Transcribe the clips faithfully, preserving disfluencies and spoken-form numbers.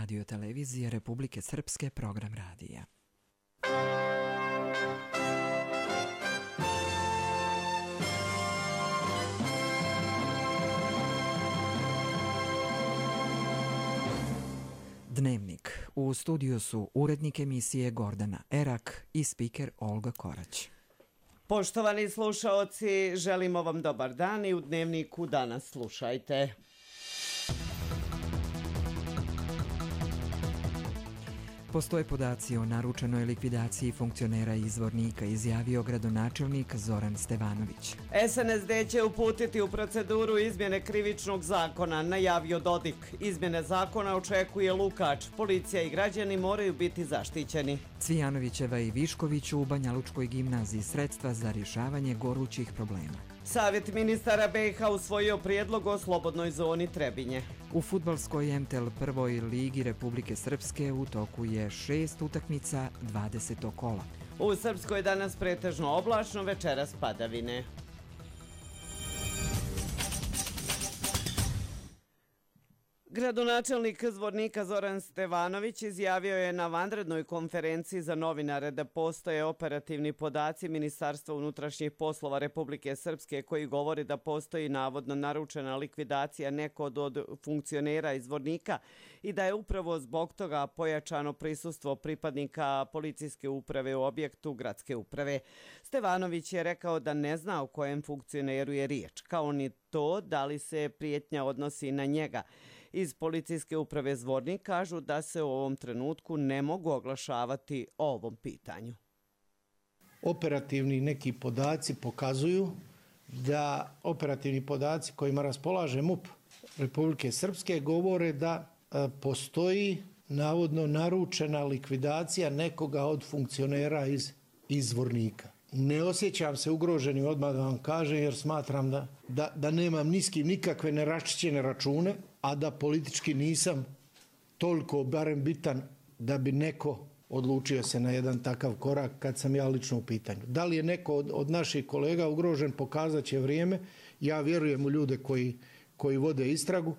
Radio-televizije Republike Srpske, program radija. Dnevnik. U studiju su urednik emisije Gordana Erak i spiker Olga Korać. Poštovani slušaoci, želimo vam dobar dan i u Dnevniku danas slušajte. Postoje podaci o naručenoj likvidaciji funkcionera i izvornika, izjavio gradonačelnik Zoran Stevanović. S N S D će uputiti u proceduru izmjene krivičnog zakona, najavio Dodik. Izmjene zakona očekuje Lukač. Policija i građani moraju biti zaštićeni. Cvijanovićeva i Višković u Banja Lučkoj gimnaziji sredstva za rješavanje gorućih problema. Savjet ministara B i H usvojio prijedlog o slobodnoj zoni Trebinje. U fudbalskoj M T L prvoj ligi Republike Srpske u toku je šest utakmica dvadesetog kola. U Srpskoj danas pretežno oblačno, večeras padavine. Gradonačelnik Zvornika Zoran Stevanović izjavio je na vanrednoj konferenciji za novinare da postoje operativni podaci Ministarstva unutrašnjih poslova Republike Srpske koji govori da postoji navodno naručena likvidacija nekog od funkcionera iz Zvornika i da je upravo zbog toga pojačano prisustvo pripadnika policijske uprave u objektu gradske uprave. Stevanović je rekao da ne zna o kojem funkcioneru je riječ, kao ni to da li se prijetnja odnosi na njega. Iz policijske uprave Zvornik kažu da se u ovom trenutku ne mogu oglašavati o ovom pitanju. Operativni neki podaci pokazuju da operativni podaci kojima raspolaže M U P Republike Srpske govore da postoji navodno naručena likvidacija nekoga od funkcionera iz, iz Zvornika. Ne osjećam se ugroženim, odmah da vam kažem, jer smatram da, da, da nemam ni s kim nikakve neraščićene račune, a da politički nisam toliko barem bitan da bi neko odlučio se na jedan takav korak kad sam ja lično u pitanju. Da li je neko od, od naših kolega ugrožen, pokazat će vrijeme. Ja vjerujem u ljude koji, koji vode istragu.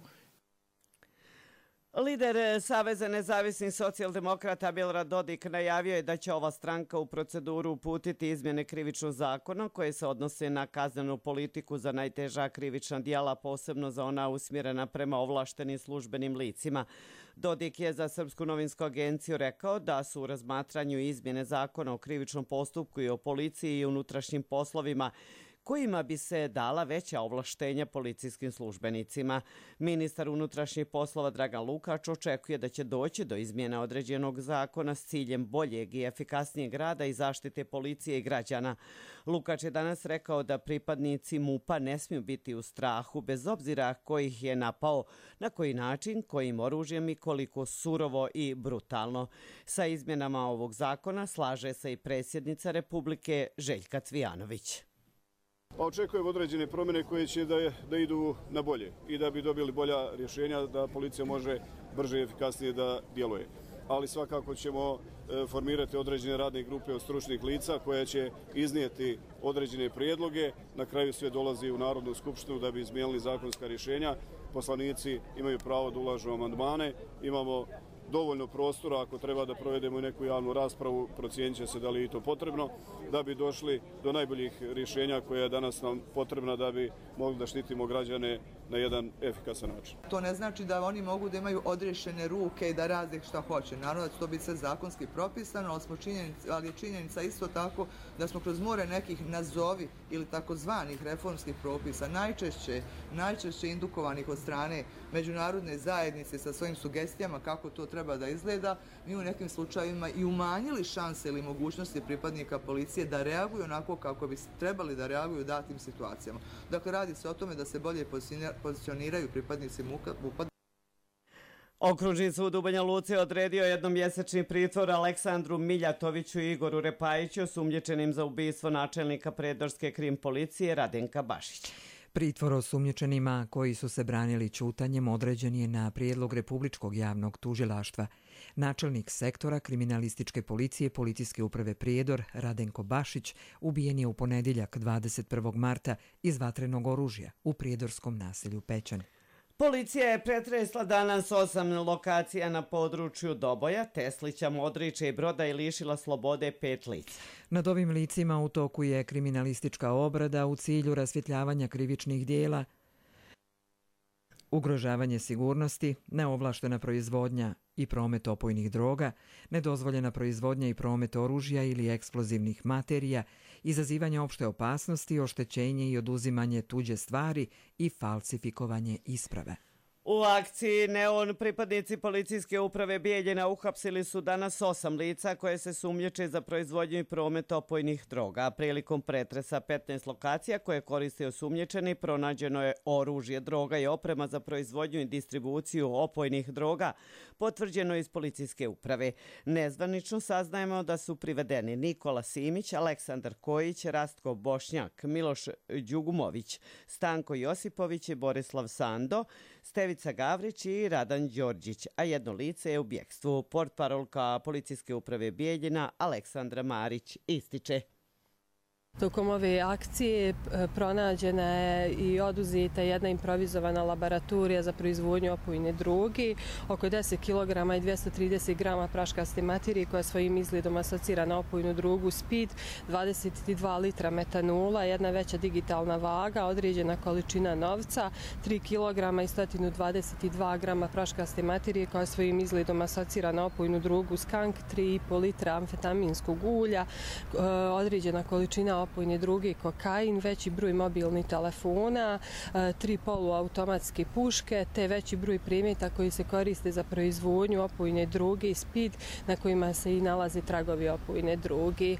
Lider Saveza nezavisnih socijaldemokrata Milorad Dodik najavio je da će ova stranka u proceduru uputiti izmjene krivičnog zakona koje se odnose na kaznenu politiku za najteža krivična djela, posebno za ona usmjerena prema ovlaštenim službenim licima. Dodik je za Srpsku novinsku agenciju rekao da su u razmatranju izmjene zakona o krivičnom postupku i o policiji i unutrašnjim poslovima kojima bi se dala veća ovlaštenja policijskim službenicima. Ministar unutrašnjih poslova Dragan Lukač očekuje da će doći do izmjena određenog zakona s ciljem boljeg i efikasnijeg rada i zaštite policije i građana. Lukač je danas rekao da pripadnici M U P-a ne smiju biti u strahu bez obzira ko ih je napao, na koji način, kojim oružjem i koliko surovo i brutalno. Sa izmjenama ovog zakona slaže se i predsjednica Republike Željka Cvijanović. Očekujem određene promjene koje će da, da idu na bolje i da bi dobili bolja rješenja, da policija može brže i efikasnije da djeluje. Ali svakako ćemo e, formirati određene radne grupe od stručnih lica koje će iznijeti određene prijedloge. Na kraju sve dolazi u Narodnu skupštinu da bi izmijenili zakonska rješenja. Poslanici imaju pravo da ulažu amandmane. Imamo dovoljno prostora, ako treba da provedemo i neku javnu raspravu, procijenit će se da li je to potrebno, da bi došli do najboljih rješenja koja je danas nam potrebna da bi mogli da štitimo građane na jedan efikasan način. To ne znači da oni mogu da imaju odriješene ruke i da rade šta hoće. Naravno da će to biti sve zakonski propisano, ali, smo činjenica, ali je činjenica isto tako da smo kroz more nekih nazovi ili takozvanih reformskih propisa najčešće, najčešće indukovanih od strane međunarodne zajednice sa svojim sugestijama kako to treba da izgleda, mi u nekim slučajevima i umanjili šanse ili mogućnosti pripadnika policije da reaguju onako kako bi trebali da reaguju u datim situacijama. Dakle, radi se o tome da se bolje pozicioniraju pripadnici M U P-a. Okružni sud u Banja Luci odredio jednomjesečni pritvor Aleksandru Miljatoviću i Igoru Repajiću, osumnjičenim za ubistvo načelnika Prijedorske krim policije Radenka Bašića. Pritvor osumnjičenima koji su se branili ćutanjem određen je na prijedlog Republičkog javnog tužilaštva. Načelnik sektora kriminalističke policije Policijske uprave Prijedor Radenko Bašić ubijen je u ponedjeljak dvadeset prvog marta iz vatrenog oružja u prijedorskom naselju Pećan. Policija je pretresla danas osam lokacija na području Doboja, Teslića, Modrića i Broda i lišila slobode pet lica. Nad ovim licima u toku je kriminalistička obrada u cilju rasvjetljavanja krivičnih dijela, ugrožavanje sigurnosti, neovlaštena proizvodnja i promet opojnih droga, nedozvoljena proizvodnja i promet oružja ili eksplozivnih materija, izazivanje opšte opasnosti, oštećenje i oduzimanje tuđe stvari i falsifikovanje isprave. U akciji Neon pripadnici policijske uprave Bijeljina uhapsili su danas osam lica koje se sumnjiče za proizvodnju i promet opojnih droga. Prilikom pretresa petnaest lokacija koje koriste osumnjičeni pronađeno je oružje, droga i oprema za proizvodnju i distribuciju opojnih droga, potvrđeno iz policijske uprave. Nezvanično saznajemo da su privedeni Nikola Simić, Aleksandar Kojić, Rastko Bošnjak, Miloš Đugumović, Stanko Josipović i Borislav Sando, Stevica Gavrić i Radan Đorđić, a jedno lice je u bjekstvu. Portparolka policijske uprave Bijeljina Aleksandra Marić ističe. Tokom ove akcije pronađena je i oduzeta jedna improvizovana laboratorija za proizvodnju opojne droge, oko deset kilograma i dvjesto trideset grama praškaste materije koja svojim izgledom asocira na opojnu drogu speed, dvadeset dva litra metanola, jedna veća digitalna vaga, određena količina novca, tri kilograma i sto dvadeset dva grama praškaste materije koja svojim izgledom asocira na opojnu drogu skank, tri i po litra amfetaminskog ulja, određena količina opojne droge, kokain, veći broj mobilnih telefona, tri poluautomatske puške, te veći broj predmeta koji se koriste za proizvodnju opojne droge i speed, na kojima se i nalaze tragovi opojne droge.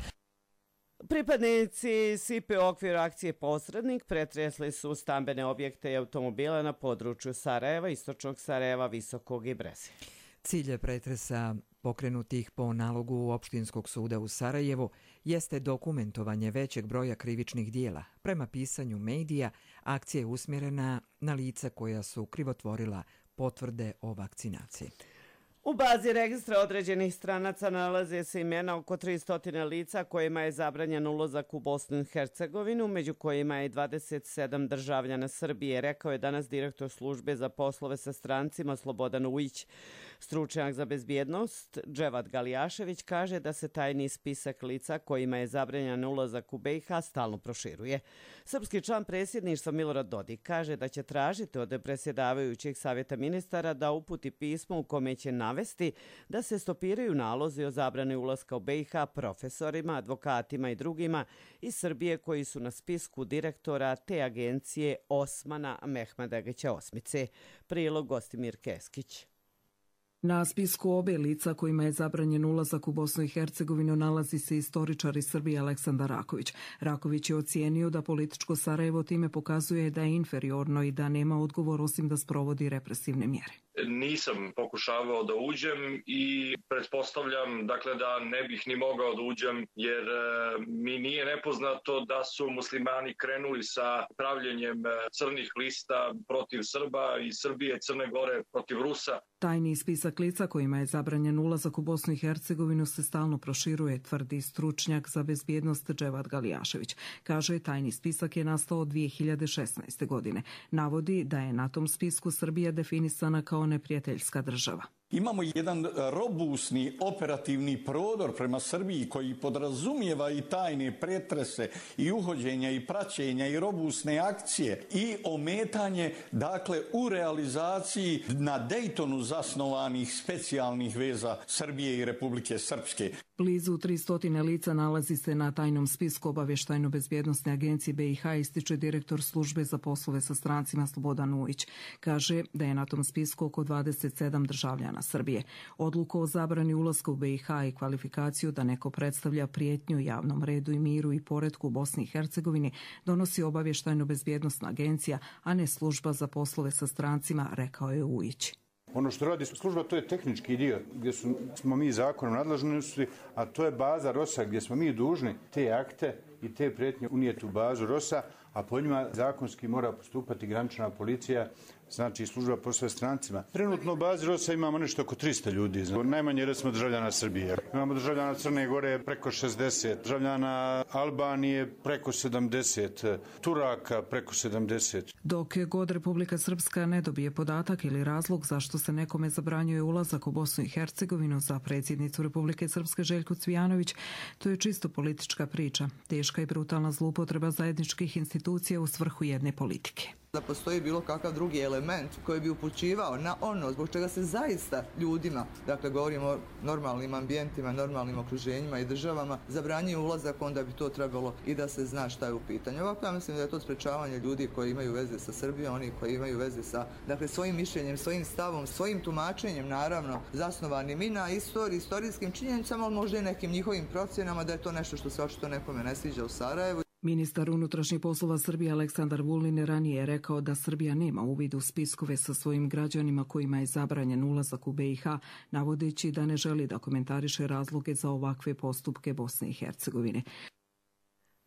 Pripadnici S I P-e u okviru akcije Posrednik pretresli su stambene objekte i automobile na području Sarajeva, istočnog Sarajeva, Visokog i Brezja. Cilj je pretresa pokrenutih po nalogu Opštinskog suda u Sarajevu jeste dokumentovanje većeg broja krivičnih dijela. Prema pisanju medija, akcija je usmjerena na lica koja su krivotvorila potvrde o vakcinaciji. U bazi registra određenih stranaca nalaze se imena oko tristo lica kojima je zabranjen ulazak u Bosnu i Hercegovinu, među kojima je dvadeset sedam državljana Srbije, rekao je danas direktor službe za poslove sa strancima Slobodan Ujić. Stručnjak za bezbjednost Dževad Galijašević kaže da se tajni spisak lica kojima je zabranjen ulazak u B i H stalno proširuje. Srpski član predsjedništva Milorad Dodik kaže da će tražiti od predsjedavajućeg savjeta ministara da uputi pismo u kome će navesti da se stopiraju nalozi o zabrani ulaska u B i H profesorima, advokatima i drugima iz Srbije koji su na spisku direktora te agencije Osmana Mehmedagića Osmice. Prilog Gostimir Keskić. Na spisku obe lica kojima je zabranjen ulazak u Bosnu i Hercegovinu nalazi se istoričar iz Srbije Aleksandar Raković. Raković je ocijenio da političko Sarajevo time pokazuje da je inferiorno i da nema odgovor osim da sprovodi represivne mjere. Nisam pokušavao da uđem i pretpostavljam dakle, da ne bih ni mogao da uđem jer e, mi nije nepoznato da su muslimani krenuli sa pravljenjem crnih lista protiv Srba i Srbije, Crne Gore protiv Rusa. Tajni spisak lica kojima je zabranjen ulazak u Bosnu i Hercegovinu se stalno proširuje, tvrdi stručnjak za bezbjednost Dževad Galijašević. Kaže, tajni spisak je nastao dvije hiljade šesnaeste. godine. Navodi da je na tom spisku Srbija definisana kao neprijateljska država. Imamo jedan robusni operativni prodor prema Srbiji koji podrazumijeva i tajne pretrese i uhođenja i praćenja i robusne akcije i ometanje dakle u realizaciji na Dejtonu zasnovanih specijalnih veza Srbije i Republike Srpske. Blizu tristo lica nalazi se na tajnom spisku Obavještajno-bezbjednosne agencije B i H, ističe direktor službe za poslove sa strancima Slobodan Ujić. Kaže da je na tom spisku oko dvadeset sedam državljana Srbije. Odluku o zabrani ulaska u B i H i kvalifikaciju da neko predstavlja prijetnju javnom redu i miru i poretku u Bosni i Hercegovini donosi Obavještajno-bezbjednosna agencija, a ne služba za poslove sa strancima, rekao je Ujić. Ono što radi služba, to je tehnički dio gdje su, smo mi zakonom nadležnosti, a to je baza ROS-a gdje smo mi dužni te akte i te prijetnje unijeti u bazu ROS-a, a po njima zakonski mora postupati granična policija znači služba poslove strancima. Trenutno u bazi ROS-a imamo nešto oko tristo ljudi, znači, najmanje recimo državljana Srbije. Imamo državljana Crne Gore preko šezdeset, državljana Albanije preko sedamdeset, Turaka preko sedamdeset. Dok god Republika Srpska ne dobije podatak ili razlog zašto se nekome zabranjuje ulazak u Bosnu i Hercegovinu, za predsjednicu Republike Srpske Željku Cvijanović, to je čisto politička priča, teška i brutalna zloupotreba zajedničkih institucija u svrhu jedne politike. Da postoji bilo kakav drugi element koji bi upućivao na ono zbog čega se zaista ljudima, dakle govorimo o normalnim ambijentima, normalnim okruženjima i državama, zabranjuje ulazak, onda bi to trebalo i da se zna šta je u pitanju. Ovako ja mislim da je to sprečavanje ljudi koji imaju veze sa Srbijom, oni koji imaju veze sa dakle, svojim mišljenjem, svojim stavom, svojim tumačenjem, naravno, zasnovanim i na istoriji, istorijskim činjenicama, ali možda i nekim njihovim procjenama da je to nešto što se očito nekome ne sviđa u Sarajevu. Ministar unutrašnjih poslova Srbije Aleksandar Vulin ranije je rekao da Srbija nema uvid u spiskove sa svojim građanima kojima je zabranjen ulazak u be i ha, navodeći da ne želi da komentariše razloge za ovakve postupke Bosne i Hercegovine.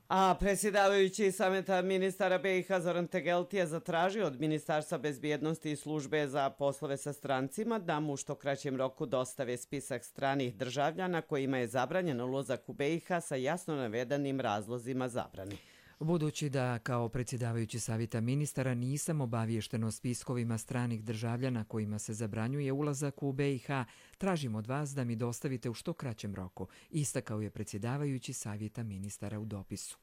A predsjedavajući sameta ministara be i ha Zoran Tegelti je zatražio od Ministarstva bezbjednosti i službe za poslove sa strancima da mu u što kraćem roku dostave spisak stranih državljana kojima je zabranjen ulazak u be i ha sa jasno navedenim razlozima zabrane. Budući da kao predsjedavajući savjeta ministara nisam obaviješten o spiskovima stranih državljana kojima se zabranjuje ulazak u be i ha, tražim od vas da mi dostavite u što kraćem roku, istakao je predsjedavajući savjeta ministara u dopisu.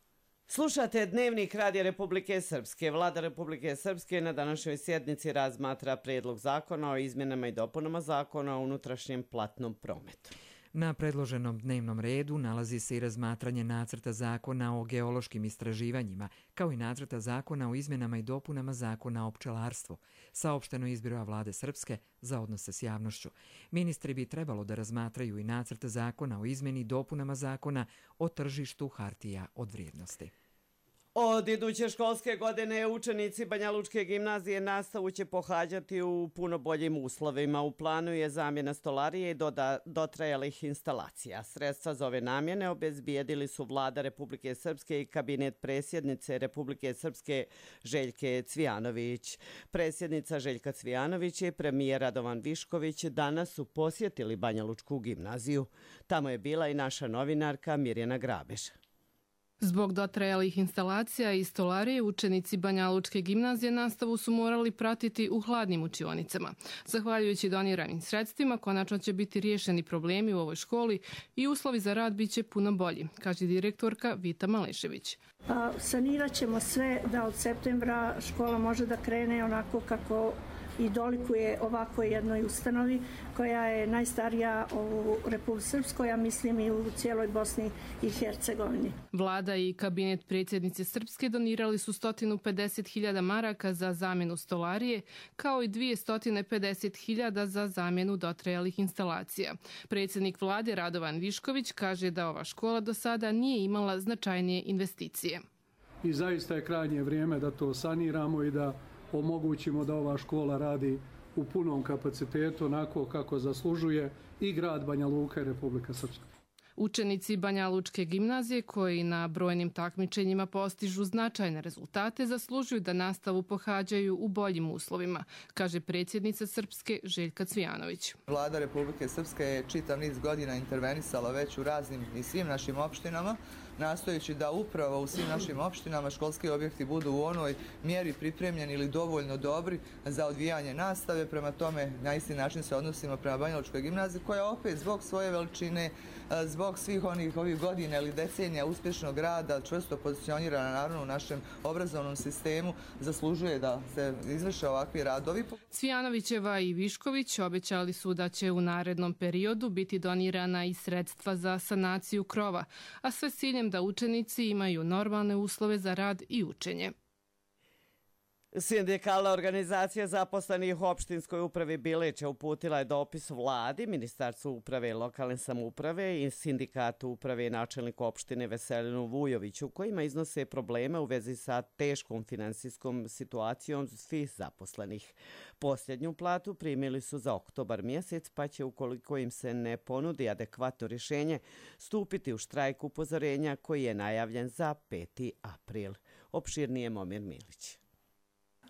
Slušate Dnevnik Radija Republike Srpske. Vlada Republike Srpske na današnjoj sjednici razmatra prijedlog zakona o izmjenama i dopunama zakona o unutrašnjem platnom prometu. Na predloženom dnevnom redu nalazi se i razmatranje nacrta zakona o geološkim istraživanjima, kao i nacrta zakona o izmjenama i dopunama zakona o pčelarstvu, saopšteno iz Biroa Vlade Srpske za odnose s javnošću. Ministri bi trebalo da razmatraju i nacrta zakona o izmjeni i dopunama zakona o tržištu hartija od vrijednosti. Od iduće školske godine učenici Banjalučke gimnazije nastavu će pohađati u puno boljim uslovima. U planu je zamjena stolarije i doda, dotrajalih instalacija. Sredstva za ove namjene obezbijedili su Vlada Republike Srpske i kabinet predsjednice Republike Srpske Željke Cvijanović. Predsjednica Željka Cvijanović i premijer Radovan Višković danas su posjetili Banjalučku gimnaziju. Tamo je bila i naša novinarka Mirjana Grabež. Zbog dotrajalih instalacija i stolarije, učenici Banjalučke gimnazije nastavu su morali pratiti u hladnim učionicama. Zahvaljujući doniranim sredstvima, konačno će biti riješeni problemi u ovoj školi i uslovi za rad bit će puno bolji, kaže direktorka Vita Malešević. Sanirat ćemo sve da od septembra škola može da krene onako kako i dolikuje ovako jednoj ustanovi koja je najstarija u Republici Srpskoj, a mislim i u cijeloj Bosni i Hercegovini. Vlada i kabinet predsjednice Srpske donirali su sto pedeset hiljada maraka za zamjenu stolarije, kao i dvjesto pedeset hiljada za zamjenu dotrajalih instalacija. Predsjednik Vlade Radovan Višković kaže da ova škola do sada nije imala značajnije investicije. I zaista je krajnje vrijeme da to saniramo i da omogućimo da ova škola radi u punom kapacitetu, onako kako zaslužuje i grad Banja Luka i Republika Srpska. Učenici Banjalučke gimnazije koji na brojnim takmičenjima postižu značajne rezultate zaslužuju da nastavu pohađaju u boljim uslovima, kaže predsjednica Srpske Željka Cvijanović. Vlada Republike Srpske je čitav niz godina intervenisala već u raznim i svim našim opštinama, nastojeći da upravo u svim našim opštinama školski objekti budu u onoj mjeri pripremljeni ili dovoljno dobri za odvijanje nastave. Prema tome, na isti način se odnosimo prema Banjalučkoj gimnaziji, koja opet zbog svoje veličine, zbog svih onih ovih godina ili decenija uspješnog rada, čvrsto pozicionirana naravno u našem obrazovnom sistemu, zaslužuje da se izvrše ovakvi radovi. Cvijanovićeva i Višković obećali su da će u narednom periodu biti donirana i sredstva za sanaciju krova, a sve s ciljem da učenici imaju normalne uslove za rad i učenje. Sindikalna organizacija zaposlenih u opštinskoj upravi Bilića uputila je dopis Vladi, Ministarstvu uprave i lokalne samouprave i Sindikatu uprave i načelniku opštine Veselinu Vujoviću, kojima iznose probleme u vezi sa teškom finansijskom situacijom svih zaposlenih. Posljednju platu primili su za oktobar mjesec, pa će, ukoliko im se ne ponudi adekvatno rješenje, stupiti u štrajk upozorenja koji je najavljen za peti april. Opširnije Momir Milić.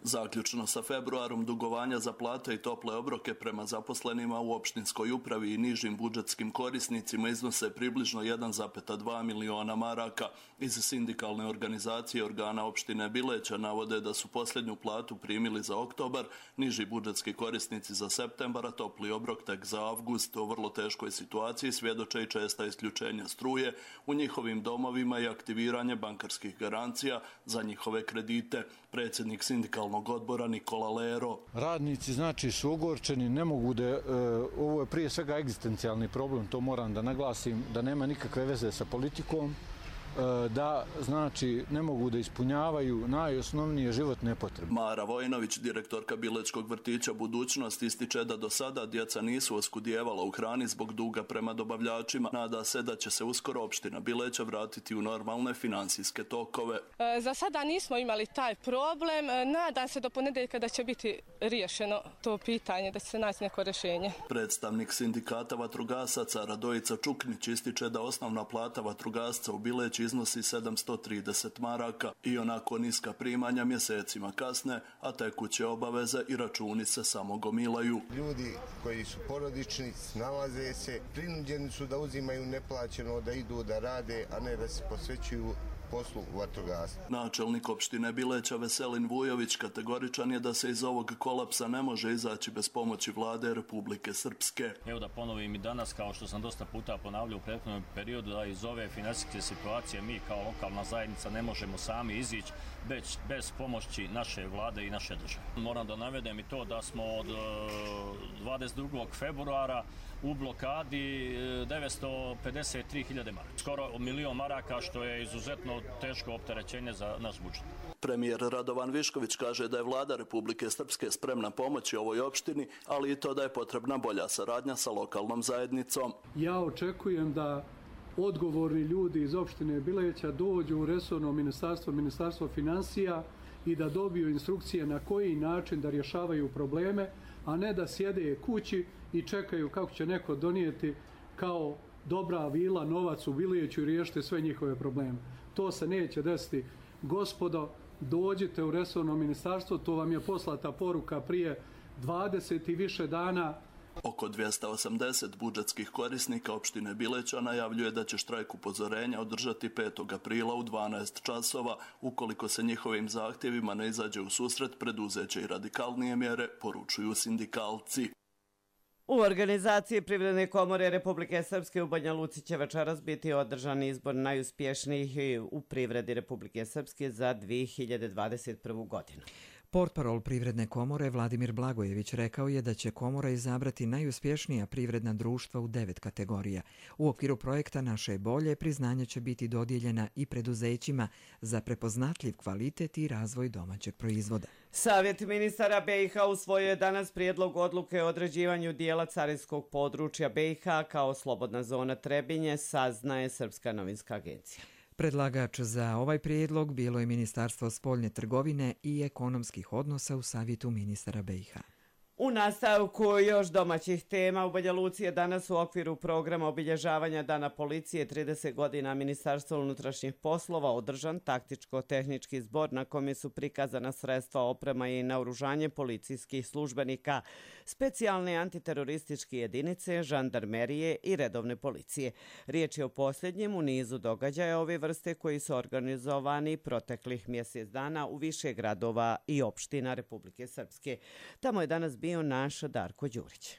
Zaključno sa februarom, dugovanja za plate i tople obroke prema zaposlenima u opštinskoj upravi i nižim budžetskim korisnicima iznose približno jedan zarez dva miliona maraka. Iz sindikalne organizacije organa opštine Bileća navode da su posljednju platu primili za oktobar, niži budžetski korisnici za septembar, a topli obrok tek za avgust. O vrlo teškoj situaciji svjedoče i česta isključenja struje u njihovim domovima i aktiviranje bankarskih garancija za njihove kredite. Predsjednik sindikalnog odbora Nikola Lero. Radnici znači su ogorčeni, ne mogu da, e, ovo je prije svega egzistencijalni problem, to moram da naglasim, da nema nikakve veze sa politikom, da znači ne mogu da ispunjavaju najosnovnije životne potrebe. Mara Vojnović, direktorka Bilečkog vrtića Budućnost, ističe da do sada djeca nisu oskudijevala u hrani zbog duga prema dobavljačima. Nada se da će se uskoro opština Bileća vratiti u normalne finansijske tokove. Za sada nismo imali taj problem. Nadam se do ponedeljka da će biti riješeno to pitanje, da će se naći neko rješenje. Predstavnik sindikata vatrogasaca Radojica Čuknić ističe da osnovna plata vatrogasca u Bileći iznosi sedamsto trideset maraka i onako niska primanja mjesecima kasne, a tekuće obaveze i računi se samo gomilaju. Ljudi koji su porodični, snalaze se, prinuđeni su da uzimaju neplaćeno, da idu da rade, a ne da se posvećuju poslu vatrogastva. Načelnik opštine Bileća Veselin Vujović kategoričan je da se iz ovog kolapsa ne može izaći bez pomoći vlade Republike Srpske. Evo da ponovim i danas, kao što sam dosta puta ponavljao u prethodnom periodu, da iz ove finansijske situacije mi kao lokalna zajednica ne možemo sami izići bez, bez pomoći naše vlade i naše države. Moram da navedem i to da smo od dvadeset drugog februara u blokadi devetsto pedeset tri hiljade maraka. Skoro milion maraka, što je izuzetno teško opterećenje za naš budžet. Premijer Radovan Višković kaže da je vlada Republike Srpske spremna pomoći ovoj opštini, ali i to da je potrebna bolja saradnja sa lokalnom zajednicom. Ja očekujem da odgovorni ljudi iz opštine Bileća dođu u resorno ministarstvo, ministarstvo financija i da dobiju instrukcije na koji način da rješavaju probleme, a ne da sjede kući i čekaju kako će neko donijeti kao dobra vila novac u Bileću i riješiti sve njihove probleme. To se neće desiti. Gospodo, dođite u resorno ministarstvo, to vam je poslata poruka prije dvadeset i više dana. Oko dvjesto osamdeset budžetskih korisnika opštine Bileća najavljuje da će štrajk upozorenja održati petog aprila u dvanaest časova. Ukoliko se njihovim zahtjevima ne izađe u susret, preduzeće i radikalnije mjere, poručuju sindikalci. U organizaciji Privredne komore Republike Srpske u Banja Luci će večeras biti održan izbor najuspješnijih u privredi Republike Srpske za dvije hiljade dvadeset prvu. godinu. Portparol Privredne komore Vladimir Blagojević rekao je da će komora izabrati najuspješnija privredna društva u devet kategorija. U okviru projekta Naše bolje priznanje će biti dodijeljena i preduzećima za prepoznatljiv kvalitet i razvoj domaćeg proizvoda. Savjet ministara B i H usvojio je danas prijedlog odluke o određivanju dijela carinskog područja B i H kao slobodna zona Trebinje, saznaje Srpska novinska agencija. Predlagač za ovaj prijedlog bilo je Ministarstvo spoljne trgovine i ekonomskih odnosa u savjetu ministara B i H. U nastavku još domaćih tema u Banja Luci je danas u okviru programa obilježavanja Dana policije trideset godina Ministarstva unutrašnjih poslova održan taktičko-tehnički zbor na kome su prikazana sredstva, oprema i naoružanje policijskih službenika, specijalne antiterorističke jedinice, žandarmerije i redovne policije. Riječ je o posljednjem u nizu događaja ove vrste koji su organizovani proteklih mjesec dana u više gradova i opština Republike Srpske. Tamo je danas bio naš Darko Đurić.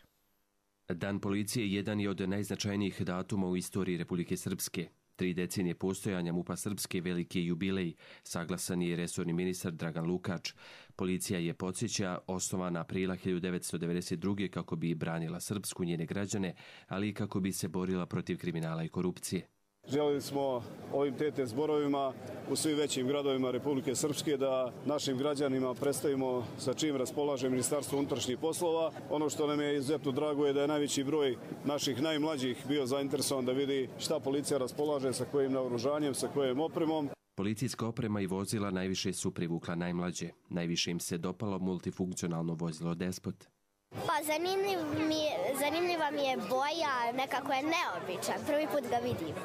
Dan policije jedan je od najznačajnijih datuma u istoriji Republike Srpske. Tri decenije postojanja MUP-a Srpske veliki jubilej, saglasan je resorni ministar Dragan Lukač. Policija je, podsjeća, osnovana aprila hiljadu devetsto devedeset druge. kako bi branila Srpsku, njene građane, ali i kako bi se borila protiv kriminala i korupcije. Želili smo ovim T T zborovima u svim većim gradovima Republike Srpske da našim građanima predstavimo sa čim raspolaže Ministarstvo unutrašnjih poslova. Ono što nam je izuzetno drago je da je najveći broj naših najmlađih bio zainteresovan da vidi šta policija raspolaže, sa kojim naoružanjem, sa kojim opremom. Policijska oprema i vozila najviše su privukla najmlađe. Najviše im se dopalo multifunkcionalno vozilo Despot. Pa zanimljiv mi, zanimljiva mi je boja, nekako je neobičan, prvi put ga vidim.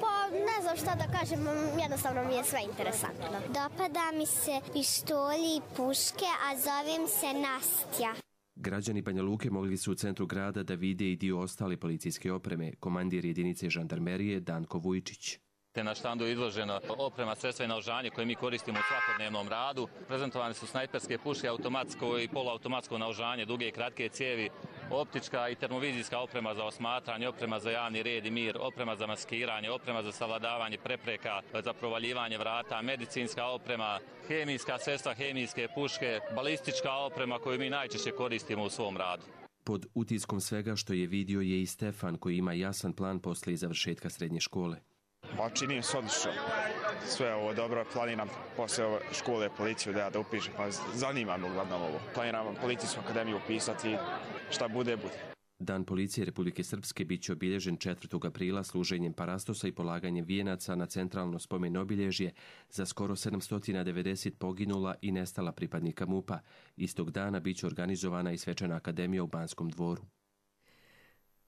Pa ne znam šta da kažem, jednostavno mi je sve interesantno. Dopada mi se pištolji i puške, a zovem se Nastja. Građani Banja Luke mogli su u centru grada da vide i dio ostale policijske opreme, komandir jedinice žandarmerije Danko Vujčić. Te na štandu je izložena oprema, sredstva i naoružanje koje mi koristimo u svakodnevnom radu. Prezentovane su snajperske puške, automatsko i poluautomatsko naoružanje, duge i kratke cijevi, optička i termovizijska oprema za osmatranje, oprema za javni red i mir, oprema za maskiranje, oprema za savladavanje prepreka, za provaljivanje vrata, medicinska oprema, hemijska sredstva, hemijske puške, balistička oprema koju mi najčešće koristimo u svom radu. Pod utiskom svega što je vidio je i Stefan, koji ima jasan plan posle završetka srednje škole. Pa čini se odlično. Sve ovo dobro, planiram posle ove škole policiju da ja da upišem, pa zanima me uglavnom ovo. Planiram policijsku akademiju upisati, šta bude, bude. Dan policije Republike Srpske bit će obilježen četvrtog aprila služenjem parastosa i polaganjem vijenaca na centralno spomen obilježje za skoro sedamsto devedeset poginula i nestala pripadnika MUP-a. Istog dana bit će organizovana i svečana akademija u Banskom dvoru.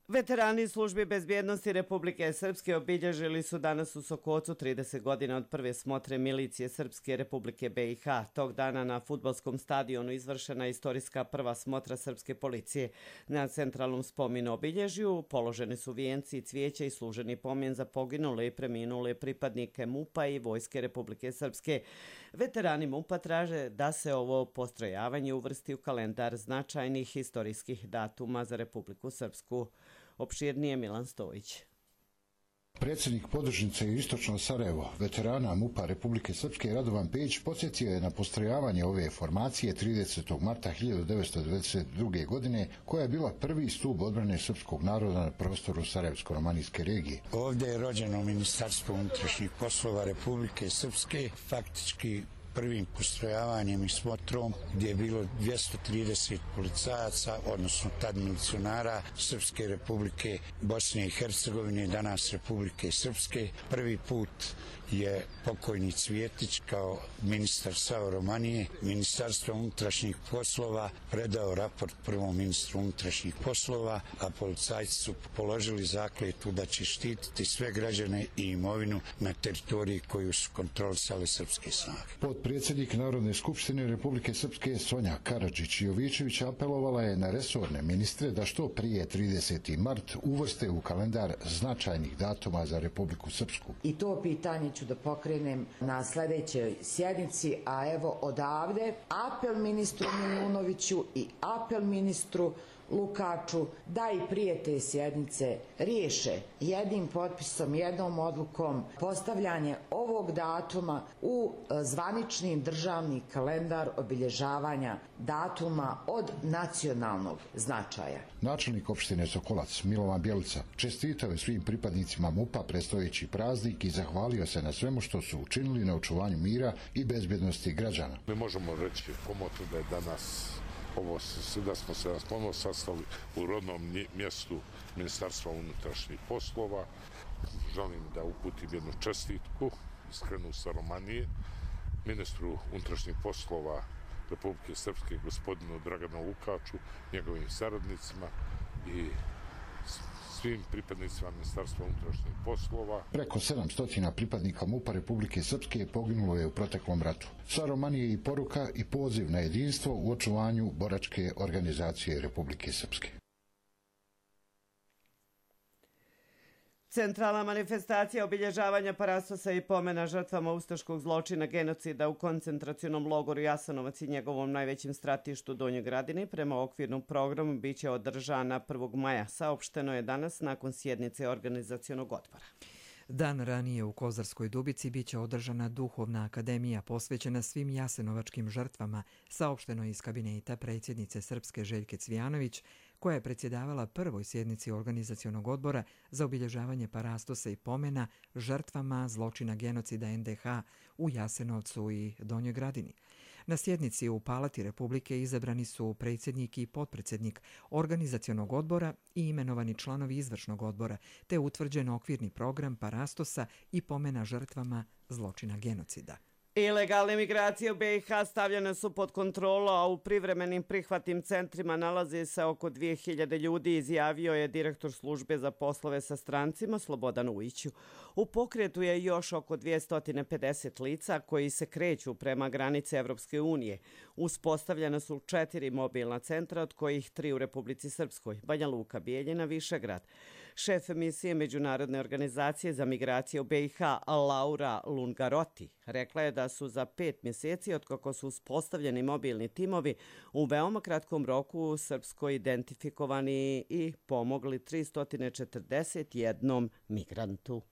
Veterani službe bezbjednosti Republike Srpske obilježili su danas u Sokocu trideset godina od prve smotre milicije Srpske Republike B i H. Tog dana na fudbalskom stadionu izvršena je istorijska prva smotra Srpske policije. Na centralnom spomenu obilježju položeni su vijenci i cvijeća i služeni pomen za poginule i preminule pripadnike MUP-a i Vojske Republike Srpske. Veterani MUP-a traže da se ovo postrojavanje uvrsti u kalendar značajnih istorijskih datuma za Republiku Srpsku. Opširnije Milan Stojić. Predsjednik podružnice Istočno Sarajevo, veterana MUP-a Republike Srpske Radovan Pejić podsjetio je na postrojavanje ove formacije tridesetog marta hiljadu devetsto devedeset druge. godine, koja je bila prvi stup odbrane srpskog naroda na prostoru Sarajevsko-romanijske regije. Ovdje je rođeno Ministarstvo unutrašnjih poslova Republike Srpske, faktički prvim postrojavanjem i smotrom gdje je bilo dvjesto trideset policajaca, odnosno tad milicionara Srpske Republike Bosne i Hercegovine, danas Republike Srpske. Prvi put je pokojni Cvjetić kao ministar SAO Romanije, Ministarstvo unutrašnjih poslova predao raport prvom ministru unutrašnjih poslova, a policajci su položili zakletvu da će štititi sve građane i imovinu na teritoriji koju su kontrolisale srpske snage. Potpredsjednik Narodne skupštine Republike Srpske Sonja Karadžić-Jovičević apelovala je na resorne ministre da što prije trideseti mart uvrste u kalendar značajnih datuma za Republiku Srpsku. I to pitanje ću da pokrenem na sljedećoj sjednici, a evo odavde apel ministru Milunoviću i apel ministru Lukaču da i prije te sjednice riješe jednim potpisom, jednom odlukom postavljanje ovog datuma u zvanični državni kalendar obilježavanja datuma od nacionalnog značaja. Načelnik opštine Sokolac Milovan Bjelica čestitao je svim pripadnicima MUP-a predstojeći praznik i zahvalio se na svemu što su učinili na očuvanju mira i bezbjednosti građana. Mi možemo reći komotno da je danas ovo, da smo se nas ponovno sastali u rodnom mjestu Ministarstva unutrašnjih poslova. Želim da uputim jednu čestitku, iskrenu sa Romanije, ministru unutrašnjih poslova Republike Srpske, gospodinu Draganu Lukaču, njegovim saradnicima i svim pripadnicima Ministarstva unutrašnjih poslova. Preko sedamsto pripadnika MUP-a Republike Srpske poginulo je u proteklom ratu. Sa Romanije i poruka i poziv na jedinstvo u očuvanju boračke organizacije Republike Srpske. Centralna manifestacija obilježavanja parastosa i pomena žrtvama ustaškog zločina genocida u koncentracionom logoru Jasenovac i njegovom najvećem stratištu Donjoj Gradini prema okvirnom programu biće održana prvog maja. Saopšteno je danas nakon sjednice organizacionog odbora. Dan ranije u Kozarskoj Dubici biće održana duhovna akademija posvećena svim jasenovačkim žrtvama, saopšteno iz kabineta predsjednice Srpske Željke Cvijanović, koja je predsjedavala prvoj sjednici organizacionog odbora za obilježavanje parastosa i pomena žrtvama zločina genocida en de ha u Jasenovcu i Donjoj Gradini. Na sjednici u Palati Republike izabrani su predsjednik i potpredsjednik organizacionog odbora i imenovani članovi izvršnog odbora, te utvrđen okvirni program parastosa i pomena žrtvama zločina genocida. Ilegalne migracije u be i ha stavljene su pod kontrolu, a u privremenim prihvatnim centrima nalazi se oko dvije hiljade ljudi, izjavio je direktor službe za poslove sa strancima Slobodan Ujić. U pokretu je još oko dvjesto pedeset lica koji se kreću prema granici Evropske unije. Uspostavljena su četiri mobilna centra, od kojih tri u Republici Srpskoj, Banja Luka, Bijeljina, Višegrad. Šef misije Međunarodne organizacije za migracije u be i ha, Laura Lungaroti, rekla je da su za pet mjeseci, otkako su uspostavljeni mobilni timovi, u veoma kratkom roku u Srpskoj identifikovani i pomogli tristo četrdeset jednom migrantu.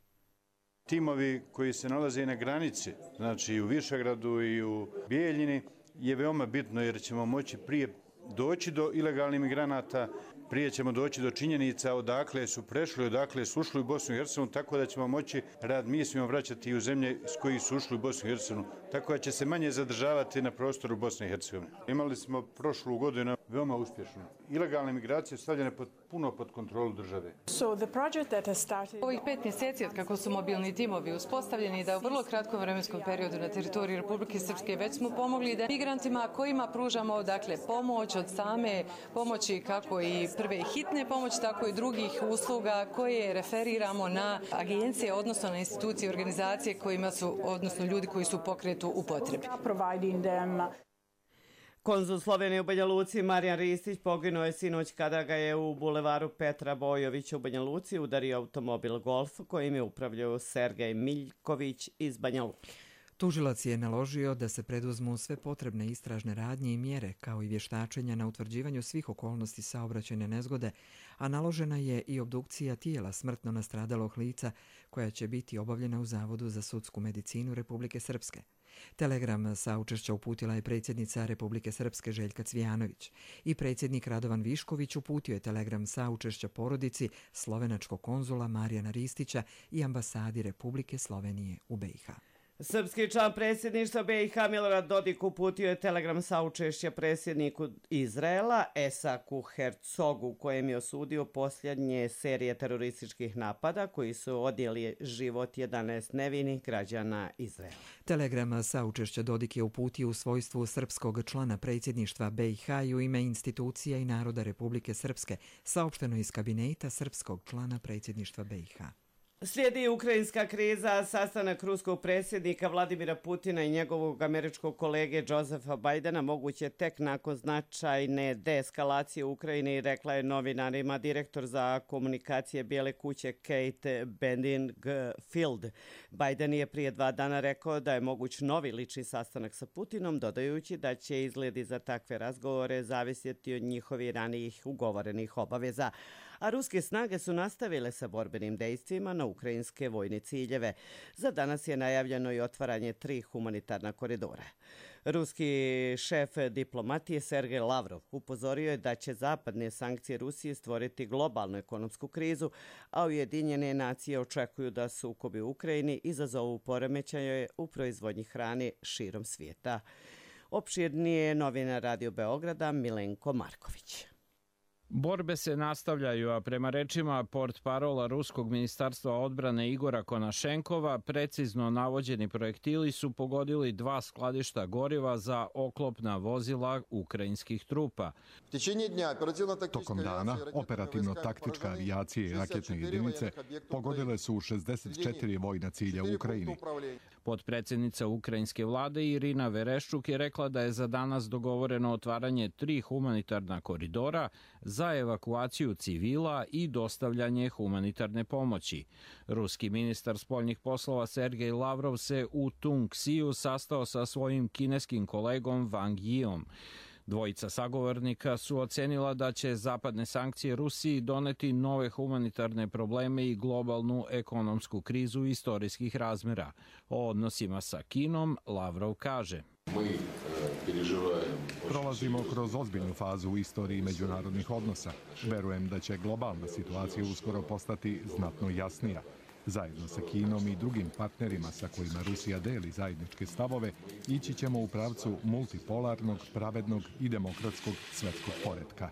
Timovi koji se nalaze na granici, znači i u Višegradu i u Bijeljini, je veoma bitno jer ćemo moći prije doći do ilegalnih migranata, prije ćemo doći do činjenica odakle su prešli, odakle su ušli u Bosnu i Hercegovinu, tako da ćemo moći rad misijom vraćati i u zemlje s kojih su ušli u Bosnu i Hercegovinu, tako da će se manje zadržavati na prostoru Bosne i Hercegovine. Imali smo prošlu godinu veoma uspješno. Ilegalne migracije stavljene pod, puno pod kontrolu države. Ovih pet mjeseci od kako su mobilni timovi uspostavljeni da u vrlo kratkom vremenskom periodu na teritoriji Republike Srpske već smo pomogli da migrantima kojima pružamo dakle pomoć od same pomoći kako i prve hitne pomoći, tako i drugih usluga koje referiramo na agencije, odnosno na institucije i organizacije kojima su, odnosno ljudi koji su u pokretu u potrebi. Konzul Slovenije u Banja Luci Marijan Ristić poginuo je sinoć kada ga je u bulevaru Petra Bojovića u Banja Luci udario automobil Golf kojim je upravljao Sergej Miljković iz Banja Luke. Tužilac je naložio da se preduzmu sve potrebne istražne radnje i mjere, kao i vještačenja na utvrđivanju svih okolnosti saobraćajne nezgode, a naložena je i obdukcija tijela smrtno nastradalog lica koja će biti obavljena u Zavodu za sudsku medicinu Republike Srpske. Telegram saučešća uputila je predsjednica Republike Srpske Željka Cvijanović i predsjednik Radovan Višković uputio je telegram saučešća porodici slovenačkog konzula Marijana Ristića i ambasadi Republike Slovenije u be i ha. Srpski član predsjedništva be i ha Milorad Dodik uputio je telegram saučešća predsjedniku Izraela Esaku Hercogu, kojem je osudio posljednje serije terorističkih napada koji su odnijeli život jedanaest nevinih građana Izraela. Telegram saučešća Dodik je uputio u svojstvu srpskog člana predsjedništva be i ha i u ime institucija i naroda Republike Srpske, saopšteno iz kabineta srpskog člana predsjedništva be i ha. Slijedi ukrajinska kriza, sastanak ruskog predsjednika Vladimira Putina i njegovog američkog kolege Josefa Bidena moguće tek nakon značajne deeskalacije u Ukrajini, rekla je novinarima direktor za komunikacije Bijele kuće Kate Bedingfield. Biden je prije dva dana rekao da je moguć novi lični sastanak sa Putinom, dodajući da će izgledi za takve razgovore zavisjeti od njihovih ranijih ugovorenih obaveza. A ruske snage su nastavile sa borbenim dejstvima na ukrajinske vojne ciljeve. Za danas je najavljeno i otvaranje tri humanitarna koridora. Ruski šef diplomatije Sergej Lavrov upozorio je da će zapadne sankcije Rusije stvoriti globalnu ekonomsku krizu, a Ujedinjene nacije očekuju da sukobi u Ukrajini izazovu poremećaje u proizvodnji hrane širom svijeta. Opširnije novinar Radio Beograda Milenko Marković. Borbe se nastavljaju, a prema rečima portparola Ruskog ministarstva odbrane Igora Konašenkova, precizno navođeni projektili su pogodili dva skladišta goriva za oklopna vozila ukrajinskih trupa. Tokom dana, operativno-taktička avijacija i raketne jedinice pogodile su šezdeset četiri vojna cilja u Ukrajini. Potpredsjednica ukrajinske vlade Irina Vereščuk je rekla da je za danas dogovoreno otvaranje tri humanitarna koridora za evakuaciju civila i dostavljanje humanitarne pomoći. Ruski ministar spoljnih poslova Sergej Lavrov se u Tunksiju sastao sa svojim kineskim kolegom Wang Yiom. Dvojica sagovornika su ocenila da će zapadne sankcije Rusiji doneti nove humanitarne probleme i globalnu ekonomsku krizu istorijskih razmjera. O odnosima sa Kinom Lavrov kaže: Prolazimo kroz ozbiljnu fazu u istoriji međunarodnih odnosa. Verujem da će globalna situacija uskoro postati znatno jasnija. Zajedno sa Kinom i drugim partnerima sa kojima Rusija deli zajedničke stavove, ići ćemo u pravcu multipolarnog, pravednog i demokratskog svjetskog poretka.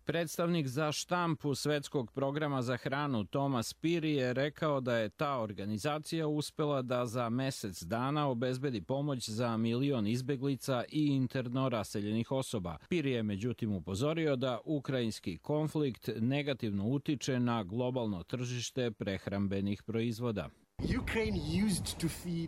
Predstavnik za štampu Svetskog programa za hranu Thomas Piri je rekao da je ta organizacija uspela da za mesec dana obezbedi pomoć za milion izbeglica i interno raseljenih osoba. Piri je međutim upozorio da ukrajinski konflikt negativno utiče na globalno tržište prehrambenih proizvoda.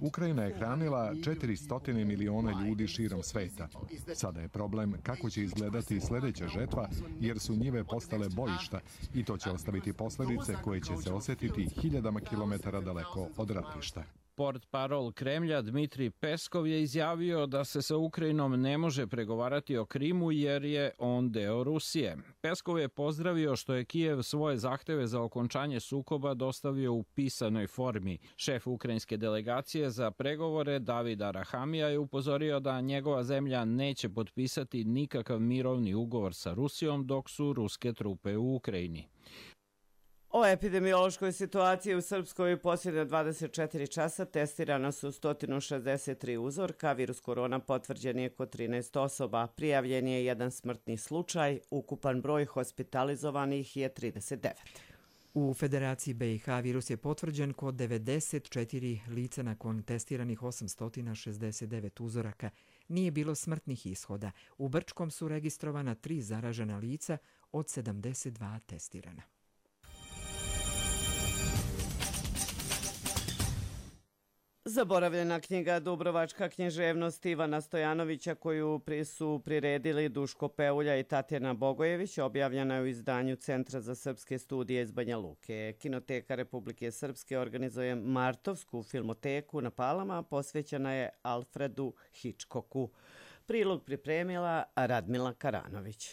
Ukrajina je hranila četiristo miliona ljudi širom sveta. Sada je problem kako će izgledati sljedeća žetva, jer su njive postale bojišta i to će ostaviti posljedice koje će se osjetiti hiljadama kilometara daleko od ratišta. Portparol Kremlja Dmitrij Peskov je izjavio da se sa Ukrajinom ne može pregovarati o Krimu jer je on deo Rusije. Peskov je pozdravio što je Kijev svoje zahteve za okončanje sukoba dostavio u pisanoj formi. Šef ukrajinske delegacije za pregovore David Arahamija je upozorio da njegova zemlja neće potpisati nikakav mirovni ugovor sa Rusijom dok su ruske trupe u Ukrajini. O epidemiološkoj situaciji u Srpskoj posljednje dvadeset četiri časa testirana su sto šezdeset tri uzorka, virus korona potvrđen je kod trinaest osoba, prijavljen je jedan smrtni slučaj, ukupan broj hospitalizovanih je trideset devet. U Federaciji B i H virus je potvrđen kod devedeset četiri lica nakon testiranih osamsto šezdeset devet uzoraka. Nije bilo smrtnih ishoda. U Brčkom su registrovana tri zaražena lica od sedamdeset dva testirana. Zaboravljena knjiga Dubrovačka književnost Ivana Stojanovića koju su priredili Duško Peulja i Tatjana Bogojević objavljena je u izdanju Centra za srpske studije iz Banja Luke. Kinoteka Republike Srpske organizuje Martovsku filmoteku na Palama, posvećena je Alfredu Hitchcocku. Prilog pripremila Radmila Karanović.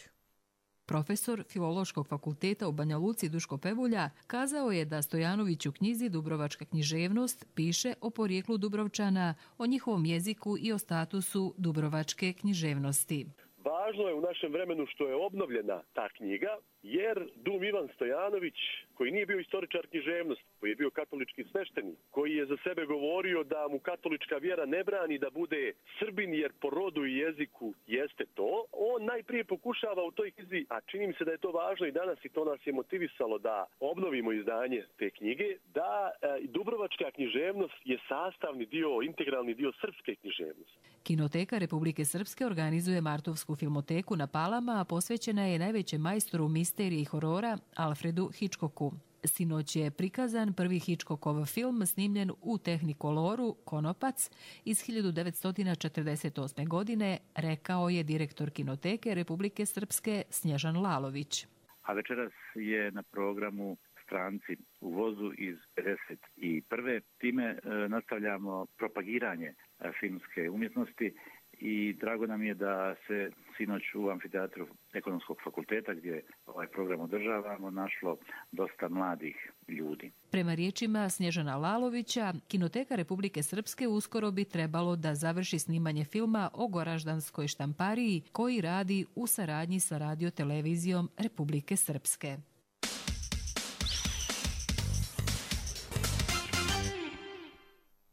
Profesor Filološkog fakulteta u Banja Luci Duško Pevulja kazao je da Stojanović u knjizi Dubrovačka književnost piše o porijeklu Dubrovčana, o njihovom jeziku i o statusu Dubrovačke književnosti. Važno je u našem vremenu što je obnovljena ta knjiga, jer Dum Ivan Stojanović, koji nije bio istoričar književnosti, koji je bio katolički sveštenik, koji je za sebe govorio da mu katolička vjera ne brani da bude Srbin jer po rodu i jeziku jeste to, on najprije pokušava u toj knjizi, a čini mi se da je to važno i danas i to nas je motivisalo da obnovimo izdanje te knjige, da e, Dubrovačka književnost je sastavni dio, integralni dio srpske književnosti. Kinoteka Republike Srpske organizuje Martovsku filmoteku na Palama, a posvećena je najvećem majstoru misterije i horora Alfredu Hitchcocku. Sinoć je prikazan prvi Hitchcockov film snimljen u Tehnikoloru Konopac iz hiljadu devetsto četrdeset osme. godine, rekao je direktor Kinoteke Republike Srpske Snježan Lalović. A večeras je na programu Stranci u vozu iz pedeset prve. Time e, nastavljamo propagiranje e, filmske umjetnosti i drago nam je da se sinoć u amfiteatru Ekonomskog fakulteta gdje ovaj program održavamo našlo dosta mladih ljudi. Prema riječima Snježana Lalovića, Kinoteka Republike Srpske uskoro bi trebalo da završi snimanje filma o Goraždanskoj štampariji koji radi u saradnji sa radiotelevizijom Republike Srpske.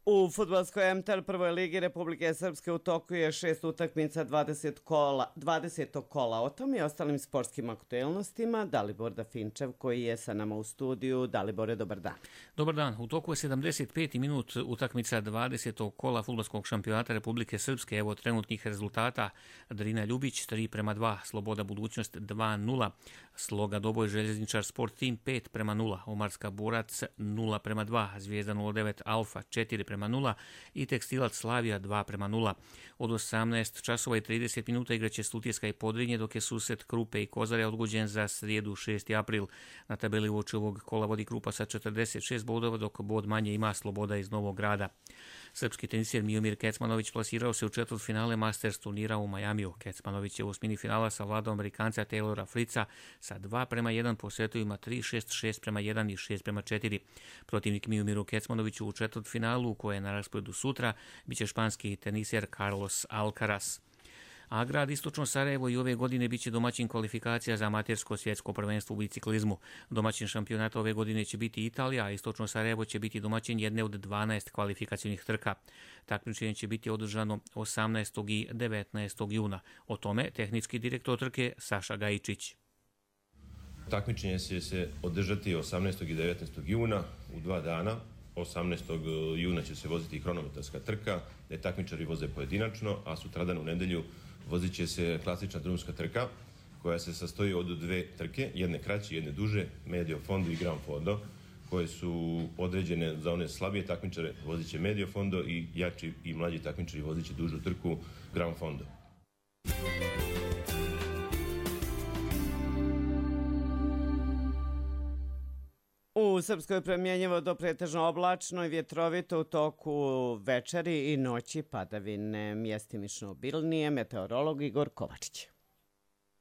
U fudbalskoj M T L prvoj ligi Republike Srpske u toku je šest utakmica dvadeset kola, dvadesetog kola. O tom i ostalim sportskim aktuelnostima Dalibor Dafinčev koji je sa nama u studiju. Dalibore, dobar dan. Dobar dan. U toku je sedamdeset peti minut utakmica dvadesetog kola fudbalskog šampionata Republike Srpske. Evo trenutnih rezultata. Drina Ljubić tri prema dva, Sloboda Budućnost dva nula, Sloga Doboj Željezničar Sport Team pet prema nula, Omarska Borac nula prema dva, Zvijezda nula devet Alfa četiri prema nula i Tekstilac Slavija dva prema nula. Od osamnaest časova i trideset minuta igraće Sutjeska i Podrinje, dok je susret Krupe i Kozare odgođen za srijedu šesti april. Na tabeli uoči ovog kola vodi Krupa sa četrdeset šest bodova, dok bod manje ima Sloboda iz Novog Grada. Srpski tenisijer Miomir Kecmanović plasirao se u četvrtfinale Masters turnira u Majamiju. Kecmanović je u osmini finala savladao Amerikanca Taylora Fritza sa dva prema jedan po setovima tri šest, šest prema jedan i šest prema četiri. Protivnik Miomiru Kecmanoviću u četvrtfinalu, koje je na rasporedu sutra, biće španski tenisijer Carlos Alcaraz. A grad Istočno Sarajevo i ove godine biće domaćin kvalifikacija za amatersko svjetsko prvenstvo u biciklizmu. Domaćin šampionata ove godine će biti Italija, a Istočno Sarajevo će biti domaćin jedne od dvanaest kvalifikacijnih trka. Takmičenje će biti održano osamnaestog i devetnaestog juna. O tome tehnički direktor trke Saša Gajičić. Takmičenje će se održati osamnaestog i devetnaestog juna u dva dana. osamnaestog juna će se voziti hronometarska trka, gdje takmičari voze pojedinačno, a sutradan u nedelju vozit će se klasična drumska trka, koja se sastoji od dve trke, jedne kraće, jedne duže, medio fondo i gran fondo, koje su određene za one slabije takmičare, vozit će medio fondo i jači i mlađi takmičari vozit će dužu trku gran fondo. U Srpskoj promjenjivo do pretežno oblačno i vjetrovito u toku večeri i noći padavine, mjestimično obilnije, meteorolog Igor Kovačić.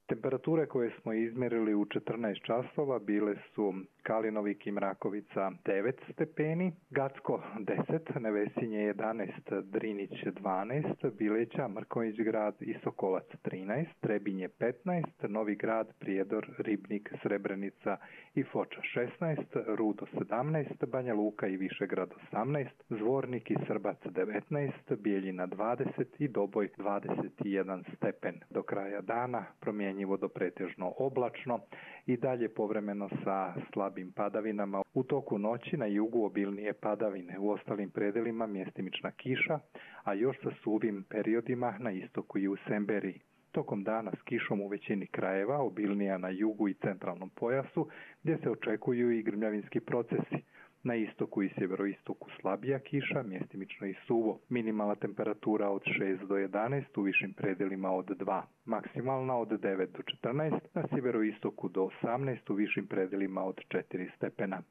Temperature koje smo izmjerili u četrnaest časova bile su Kalinovik i Mrakovica devet stepeni, Gacko deset, Nevesinje jedanaest, Drinić dvanaest, Bileća, Mrkonjić grad i Sokolac trinaest, Trebinje petnaest, Novi grad, Prijedor, Ribnik, Srebrenica i Foča šesnaest, Rudo sedamnaest, Banja Luka i Višegrad osamnaest, Zvornik i Srbac devetnaest, Bijeljina dvadeset i Doboj dvadeset jedan stepen. Do kraja dana promjenjivo do pretežno oblačno i dalje povremeno sa slabim padavinama. U toku noći na jugu obilnije padavine, u ostalim predelima mjestimična kiša, a još sa suvim periodima na istoku i u Semberiji. Tokom dana s kišom u većini krajeva, obilnija na jugu i centralnom pojasu, gdje se očekuju i grmljavinski procesi. Na istoku i sjeveroistoku slabija kiša, mjestimično i suvo. Minimalna temperatura od šest do jedanaest, u višim predelima od dva. Maksimalna od devet do četrnaest, na sjeveroistoku do osamnaest, u višim predelima od četiri stepena.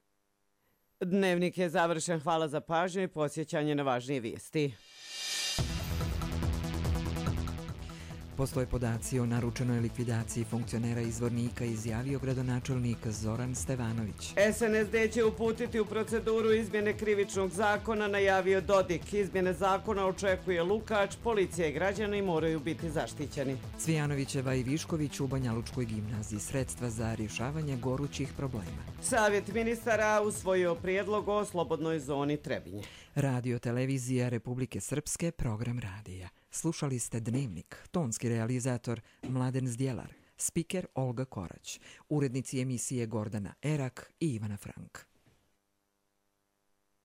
Dnevnik je završen. Hvala za pažnju i podsjećanje na važnije vijesti. Postoje podaci o naručenoj likvidaciji funkcionera izvornika, izjavio gradonačelnik Zoran Stevanović. S N S D će uputiti u proceduru izmjene krivičnog zakona, najavio Dodik. Izmjene zakona očekuje Lukač, policija i građani moraju biti zaštićeni. Cvijanovićeva i Višković u Banjalučkoj gimnaziji, sredstva za rješavanje gorućih problema. Savjet ministara usvojio prijedlog o slobodnoj zoni Trebinje. Radio televizija Republike Srpske, program radija. Slušali ste Dnevnik, tonski realizator Mladen Zdjelar, spiker Olga Korać, urednici emisije Gordana Erak i Ivana Frank.